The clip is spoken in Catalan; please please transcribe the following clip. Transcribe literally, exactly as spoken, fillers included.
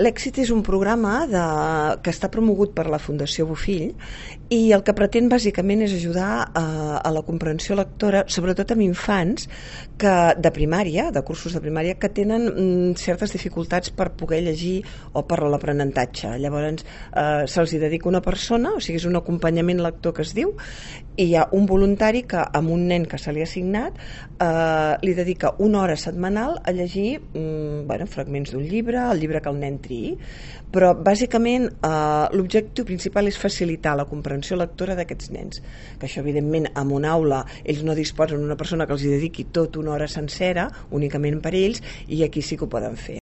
L'Èxit és un programa de, que està promogut per la Fundació Bofill i el que pretén bàsicament és ajudar a, a la comprensió lectora, sobretot amb infants que, de primària, de cursos de primària, que tenen mm, certes dificultats per poder llegir o per l'aprenentatge. Llavors eh, se'ls dedica una persona, o sigui, és un acompanyament lector que es diu, i hi ha un voluntari que amb un nen que se li ha assignat eh, li dedica una hora setmanal a llegir mm, bueno, fragments d'un llibre, el llibre que el nen triï, però bàsicament eh, l'objectiu principal és facilitar la comprensió lectora d'aquests nens, que això evidentment en una aula ells no disposen d'una persona que els hi dediqui tot una hora sencera únicament per ells, i aquí sí que ho poden fer.